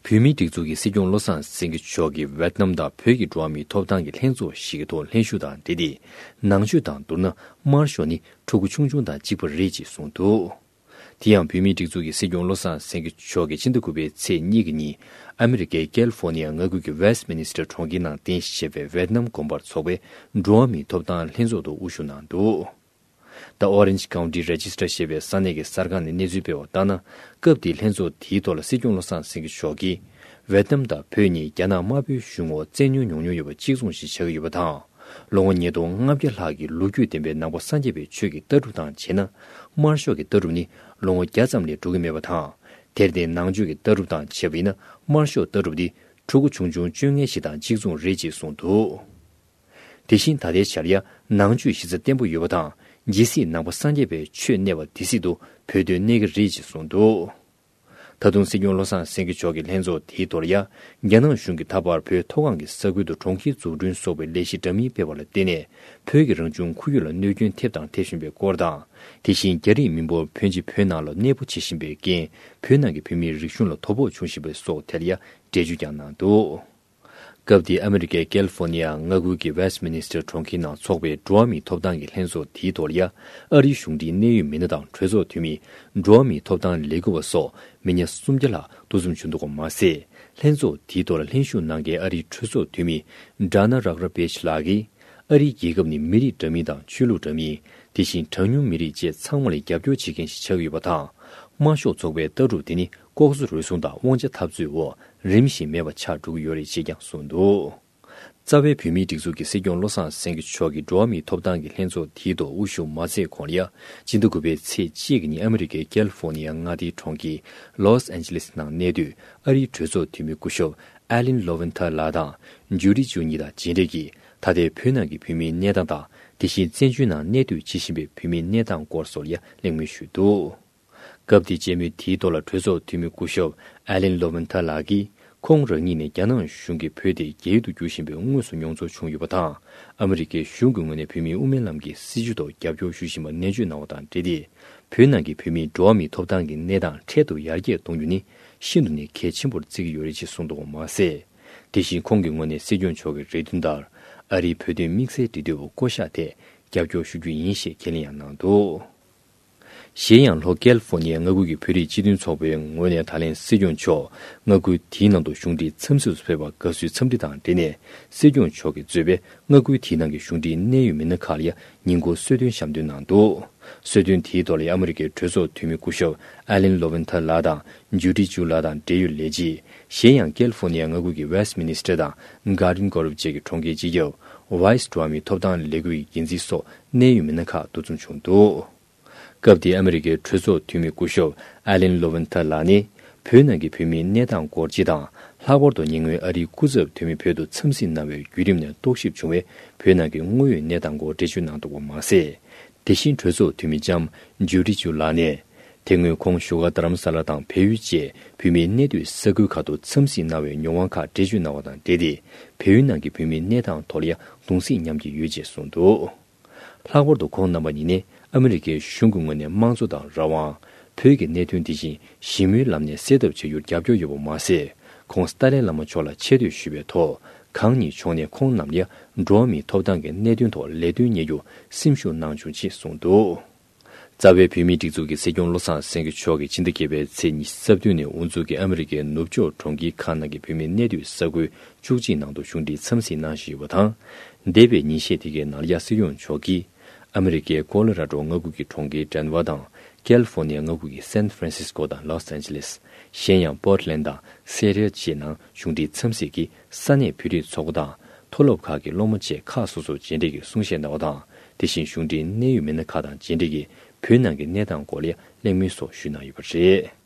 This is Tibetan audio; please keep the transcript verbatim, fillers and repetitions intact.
བོད་མིའི་སྒྲིག་འཛུགས་ཀྱི་སྲིད་སྐྱོང་བློ་བཟང་སེང་གེ་མཆོག་གིས་ཝེད་ནམ་དང་བོད་ཀྱི་འགྲོ་བ་མིའི་ཐོབ་ཐང་གི་ལྷན་ཚོགས་ཤིག་གི་ཐོག་ལྷན་ཞུགས་དང་འབྲེལ་ཏེ། ནང་ཆོས་དང་བསྡུར་ན་དམར་ཤོག་ནི་ཕྲུ་གུ་ཆུང་ཆུང་དང་གཅིག་པ་རེད་ཅེས་གསུངས་འདུག། དེ་ཡང་བོད་མིའི་སྒྲིག་འཛུགས་ཀྱི་སྲིད་སྐྱོང་བློ་བཟང་སེང་གེ་མཆོག་གིས་ཕྱི་ཟླ་དགུ་པའི་ཚེས་གཉིས་ཀྱི་ཉིན། ཨ་མི་རི་ཀའི་ཀལ་ཧྥོ་ནི་ཡ་མངའ་ཁུལ་གྱི་ཝེསྟ་མི་ནི་སི་ཊར་གྲོང་ཁྱེར་ནང་རྟེན་གཞི་བྱས་པའི་ཝེད་ནམ་དགོན་པར་འཚོགས་པའི་འགྲོ་བ་མིའི་ཐོབ་ཐང་ལྷན་ཚོགས་ཐོག་དབུ་བཞུགས་གནང་འདུག། The Orange County Register ཞེས་པའི་ས་གནས་ཀྱི་གསར་ཁང་ནས་གནས་ཚུལ་སྤེལ་བ་ལྟར་ན། སྐབས་དེའི་ལྷན་ཚོགས་དེའི་ཐོག་ལ་སྲིད་སྐྱོང་བློ་བཟང་སེང་གེ་མཆོག་གིས། ཝེད་ནམ་དང་བོད་གཉིས་རྒྱ་ནག་དམར་པོའི་གཞུང་འོག་བཙན་གནོན་མྱོང་མྱོང་ཡོད་པ་གཅིག་མཚུངས་ཤིག་ཆགས་ཀྱི་ཡོད་པ་དང་། ལོ་ངོ་ཉིས་སྟོང་ལྔ་བརྒྱ་ལྷག་གི་ལོ་རྒྱུས་ལྡན་པའི་ནང་པ་སངས་རྒྱས་པའི་ཆོས་ཀྱི་ལྟ་གྲུབ་དང་བྱས་ན། དམར་ཤོག་གི་ལྟ་གྲུབ་ནི་ལོ་ངོ་བརྒྱ་ཙམ་ལས་འགྲོ་གི་མེད་པ་དང་། དེར་བརྟེན་ནང་ཆོས་ཀྱི་ལྟ་གྲུབ་དང་བྱས་པ་ཡིན་ན། དམར་ཤོག་ལྟ་གྲུབ་འདི་ཕྲུ་གུ་ཆུང་ཆུང་བཅོ་ལྔ་ཞིག་དང་གཅིག་མཚུངས་རེད་ཅེས་གསུངས་འདུག། དེ་བཞིན་ད་ལྟའི་ཆར་ཡང་ནང་ཆོས་གཞི་རྩ་བརྟན་པོ་ཡོད་པ་དང་། ཇི་སྲིད་ནང་པ་སངས་རྒྱས་པའི་ཆོས་གནས་པ་དེ་སྲིད་དུ་བོད་དོན་གནས་ཀྱི་རེད་ཅེས་གསུངས་འདུག། ད་དུང་སྲིད་སྐྱོང་བློ་བཟང་སེང་གེ་མཆོག་གིས་ལྷན་ཚོགས་དེའི་ཐོག་ལ་ཡང་། རྒྱ་ནག་གཞུང་གིས་ད་བར་བོད་མཐོ་སྒང་གི་ས་ཁུལ་དུ་གྲོང་ཁྱེར་འཛུགས་སྐྲུན་སོགས་པའི་ལས་གཞི་འདྲ་མིན་སྤེལ་བ་ལ་བརྟེན་ནས། བོད་ཀྱི་རང་བྱུང་ཁོར་ཡུག་ལ་གནོད་སྐྱོན་ཐེབས་དང་ཐེབས་བཞིན་པའི་སྐོར་དང་། དེ་བཞིན་རྒྱ་རིགས་མི་འབོར་ཕོན་ཆེ་བོད་ནང་ལ་གནས་སྤོ་བྱེད་བཞིན་པའི་རྐྱེན། བོད་ནང་གི་བོད་མིའི་རིག་གཞུང་ལ་དོ་ཕོག་འབྱུང་བཞིན་པ་སོགས་ཐད་ལ་ཡང་འགྲེལ་བརྗོད་ཀྱང་གནང་འདུག། སྐབས་དེའི་ཨ་མི་རི་ཀའི་ཀལ་ཧྥོ་ནི་ཡ་མངའ་ཁུལ་གྱི་ཝེསྟ་མི་ནི་སི་ཊར་གྲོང་ཁྱེར་ནང་འཚོགས་པའི་འགྲོ་བ་མིའི་ཐོབ་ཐང་གི་ལྷན་ཚོགས་དེའི་ཐོག་ལ་ཡང་། ཨ་རིའི་གཞུང་འབྲེལ་གནད་ཡོད་མི་སྣ་དང་གྲོས་ཚོགས་འཐུས་མི། འགྲོ་བ་མིའི་ཐོབ་ཐང་ལས་འགུལ་བ་སོགས་མི་སྣ་སུམ་བརྒྱ་ལྷག་འདུ་འཛོམས་བྱུང་འདུག་པ་མ་ཟད། ལྷན་ཚོགས་དེའི་ཐོག་ལ་ལྷན་ཞུགས་གནང་མཁན་ཨ་རིའི་གྲོས་ཚོགས་འཐུས་མི། ཌ་ན་རག་ར་བེཆ་ལགས་ཀྱིས། ཨ་རིའི་རྒྱལ་ཁབ་ནི་མི་རིགས་འདྲ་མིན་དང་ཆོས་ལུགས་འདྲ་མིན། དེ་བཞིན་གྲངས་ཉུང་མི་རིགས་བཅས་ཚང་མ་ལ་རྒྱབ་སྐྱོར་བྱེད་མཁན་ཞིག་ཆགས་ཀྱི་ཡོད་པ་དང་། དམར་ཤོག་ཚོགས་པའི་ལྟ་གྲུབ་དེ་ནི་ལྐོག་ཟ་རུལ་སུངས་དང་དབང་ཆ་འཐབ་རྩོད་འོག་རིམ་བཞིན་མེད་པ་ཆགས་འགྲོ་གི་ཡོད་རེད་ཅེས་ཀྱང་གསུངས་འདུག། རྩ་བའི་བོད་མིའི་སྒྲིག་འཛུགས་ཀྱི་སྲིད་སྐྱོང་བློ་བཟང་སེང་གེ་མཆོག་གིས་འགྲོ་བ་མིའི་ཐོབ་ཐང་གི་ལྷན་ཚོགས་དེའི་ཐོག་དབུ་བཞུགས་མ་མཛད་གོང་ལ་ཡང་། སྤྱི་ཟླ་དགུ་པའི་ཚེས་གཅིག་གི་ཉིན་ཨ་མི་རི་ཀའི་ཀལ་ཧྥོ་ནི་ཡ་མངའ་སྡེའི་གྲོང་ཁྱེར་ལོས་ཨན་ཇི་ལེས་ནང་གནས་སྡོད་ཨ་རིའི་གྲོས་ཚོགས་འཐུས་མི་སྐུ་ཞབས་ཨ་ལིན་ལོ་ཝན་ཐར་ལགས་དང་ཇུ་ཌི་ཇུ་གཉིས་དང་མཇལ་འཕྲད་ཀྱིས། ད་ལྟའི་བོད་ནང་གི་བོད་མིའི་གནས་སྟངས་དང་། དེ་བཞིན་བཙན་བྱོལ་ནང་གནས་སྡོད་བྱེད་བཞིན་པའི་བོད་མིའི་གནས་སྟངས་སྐོར་སོགས་ལ་ཡང་གླེང་མོལ་ཞུས་འདུག། སྐབས་དེའི་མཇལ་མོལ་དེའི་ཐོག་ལ་གྲོས་ཚོགས་འཐུས་མི་སྐུ་ཞབས་ཨ་ལན་ལོ་ཝན་ཐར་ལགས་ཀྱིས། ཁོང་རང་ཉིད་ནས་རྒྱ་ནག་གཞུང་གིས་བོད་དེ་རྒྱ་ཡུལ་དུ་བསྒྱུར་བཞིན་པའི་དངོས་སུ་མྱོང་ཚོར་བྱུང་ཡོད་པ་དང་། ཨ་མི་རི་ཀའི་གཞུང་གི་ངོས་ནས་བོད་མིའི་དབུ་མའི་ལམ་གྱི་སྲིད་བྱུས་ཐོག་རྒྱབ་སྐྱོར་ཞུ་བཞིན་པ་ནན་བརྗོད་གནང་བ་དང་འབྲེལ་ཏེ། བོད་ནང་གི་བོད་མིའི་འགྲོ་བ་མིའི་ཐོབ་ཐང་གི་གནས་སྟངས་འཕྲལ་དུ་ཡར་རྒྱས་གཏོང་རྒྱུ་ནི་ཤིན་ཏུ་ནས་གལ་ཆེན་པོར་བརྩི་གི་ཡོད་རེད་ཅེས་གསུངས་འདུག་པ་མ་ཟད། དེ་བཞིན་ཁོང་གི་ངོས་ནས་སྲིད་སྐྱོང་མཆོག་གི་རེ་འདུན་ལྟར། ཨ་རིའི་བོད་དོན་དམིགས་བསལ་འབྲེལ་མཐུད་པ་བསྐོ་གཞག་ཐད་རྒྱབ་སྐྱོར་ཞུ་རྒྱུ་ཡིན་ཞེས་ཁས་ལེན་ཡང་གནང་འདུག། གཞན་ཡང་། ལྷོ་ཀལ་ཧྥོ་ནི་ཡ་མངའ་ཁུལ་གྱི་བོད་རིགས་སྤྱི་མཐུན་ཚོགས་པའི་ངོས་ནས་ད་ལན་སྲིད་སྐྱོང་མཆོག་མངའ་ཁུལ་དེའི་ནང་དུ་གཞུང་འབྲེལ་འཚམས་གཟིགས་སུ་ཕེབས་པར་དགའ་བསུའི་འཚམས་འདྲི་དང་འབྲེལ་ནས། སྲིད་སྐྱོང་མཆོག་གིས་གཙོས་པའི་མངའ་ཁུལ་དེའི་ནང་གི་གཞུང་འབྲེལ་གནད་ཡོད་མི་སྣ་ཁག་ལ་ཡང་ཉིན་གུང་གསོལ་སྟོན་ཞབས་འདེགས་གནང་འདུག། གསོལ་སྟོན་དེའི་ཐོག་ལ་ཡང་ཨ་མི་རི་ཀའི་གྲོས་ཚོགས་འཐུས་མི་སྐུ་ཞབས་ཨ་ལན་ལོ་ཝན་ཐར་ལགས་དང་ཇུ་ཌི་ཇུ་ལགས་དང་འབྲེལ་ཡོད་ལས་བྱེད། གཞན་ཡང་། ཀལ་ཧྥོ་ནི་ཡ་མངའ་ཁུལ་གྱི་ཝེསྟ་མི་ནི་སི་ཊར་དང་གྷར་ཌེན་གྷོ་རབ་བཅས་ཀྱི་གྲོང་ཁྱེར་སྤྱི་ཁྱབ། ཝེསྟ་འགྲོ་བ་མིའི་ཐོབ་ཐང་ལས་འགུལ་གྱི་འགན་འཛིན་སོགས་གནད་ཡོད་མི་སྣ་ཁག་འདུ་འཛོམས་བྱུང་འདུག། སྐབས་དེའི་ཨ་མི་རི་ཀའི་གྲོས་ཚོགས་འཐུས་མི་སྐུ་ཞབས་ཨ་ལན་ལོ་ཝན་ཐར་ལགས་ནི། བོད་ནང་གི་བོད་མིའི་གནས་སྟངས་སྐོར་སྤྱི་དང་། ལྷག་པར་དུ་ཉེ་སྔོན་ཨ་རིའི་སྐུ་ཚབ་འཐུས་མི་བོད་དུ་འཚམས་གཟིགས་གནང་བའི་བརྒྱུད་རིམ་ནས་རྟོག་ཞིབ་བྱུང་བའི་བོད་ནང་གི་དངོས་ཡོད་གནས་སྟངས་སྐོར་འགྲེལ་བརྗོད་གནང་འདུག་པ་མ་ཟད། དེ་བཞིན་གྲོས་ཚོགས་འཐུས་མི་ལྕམ་ཇུ་ཌི་ཇུ་ལགས་ནས། དེ་སྔོན་ཁོང་བཞུགས་སྒར་རྡ་རམ་ས་ལ་དང་བལ་ཡུལ་བཅས་བོད་མིའི་གནས་སྡོད་ས་ཁུལ་ཁག་ཏུ་འཚམས་གཟིགས་གནང་བའི་མྱོང་བ་ཁག་འགྲེལ་བརྗོད་གནང་བ་དང་འབྲེལ་ཏེ། བལ་ཡུལ་ནང་གི་བོད་མིའི་གནས་སྟངས་ཐོག་ལ་ཡང་གདུང་སེམས་མཉམ་སྐྱེད་ཡོད་ཅེས་གསུངས་འདུག། ལྷག་པར་དུ་ཁོང་རྣམ་པ་གཉིས་ནས་ཨ་མི་རི་ཀའི་གཞུང་གི་ངོས་ནས་དམངས་གཙོ་དང་རང་དབང་། བོད་ཀྱི་གནད་དོན་དེ་བཞིན་ཞི་མོལ་ལམ་ནས་སེལ་ཐབས་བྱ་རྒྱུར་རྒྱབ་སྐྱོར་ཡོད་པ་མ་ཟད། ཁོང་ཏཱ་ལའི་བླ་མ་མཆོག་ལ་ཆེ་བསྟོད་ཞུས་པའི་ཐོག། གང་ཉིད་མཆོག་ནས་ཁོང་རྣམས་ལ་འགྲོ་བ་མིའི་ཐོབ་ཐང་གི་གནད་དོན་ཐོག་ལས་དོན་གཉེར་རྒྱུར་སེམས་ཤུགས་གནང་བྱུང་ཅེས་གསུངས་འདུག། རྩ་བའི་བོད་མིའི་སྒྲིག་འཛུགས་ཀྱི་སྲིད་སྐྱོང་བློ་བཟང་སེང་གེ་མཆོག་གིས་ཕྱི་ཟླ་བརྒྱད་པའི་ཚེས་ཉི་ཤུ་རྩ་བདུན་ནས་དབུ་འཛུགས་ཀྱིས་ཨ་མི་རི་ཀའི་ནུབ་ཕྱོགས་གྲོང་ཁྱེར་ཁག་ནང་གི་བོད་མིའི་གནས་སྡོད་ས་ཁུལ་བཅུ་གཅིག་ནང་དུ་གཞུང་འབྲེལ་འཚམས་གཟིགས་གནང་བཞིན་ཡོད་པ་དང་། འདས་པའི་ཉིན་ཤས་དེ་གའི་ནང་ལ་ཡང་སྲིད་སྐྱོང་མཆོག་གིས། ཨ་མི་རི་ཀའི་ཀོ་ལོ་ར་ཌོ་མངའ་ཁུལ་གྱི་གྲོང་ཁྱེར་ཌེན་ཝར་དང་། ཀལ་ཧྥོ་ནི་ཡ་མངའ་ཁུལ་གྱི་སན་ཧྥ་རན་སིས་ཀོ་དང་ལོས་ཨན་ཇི་ལེས། གཞན་ཡང་པོར་ཊི་ལན་དང་སེ་ཊལ་བཅས་ནང་གཞུང་འབྲེལ་འཚམས་གཟིགས་ཀྱིས་ས་གནས་བོད་རིགས་ཚོགས་པ་དང་། མཐོ་སློབ་ཁག་གི་སློབ་མ་བཅས་ཁག་སོ་སོར་མཇལ་འཕྲད་ཀྱིས་གསུང་བཤད་གནང་བ་དང་། དེ་བཞིན་གཞུང་འབྲེལ་གནད་ཡོད་མི་སྣ་ཁག་དང་མཇལ་འཕྲད་ཀྱིས་བོད་ནང་གི་གནས་སྟངས་སྐོར་ལ་གླེང་མོལ་སོགས་ཞུས་གནང་ཡོད་པ་རེད།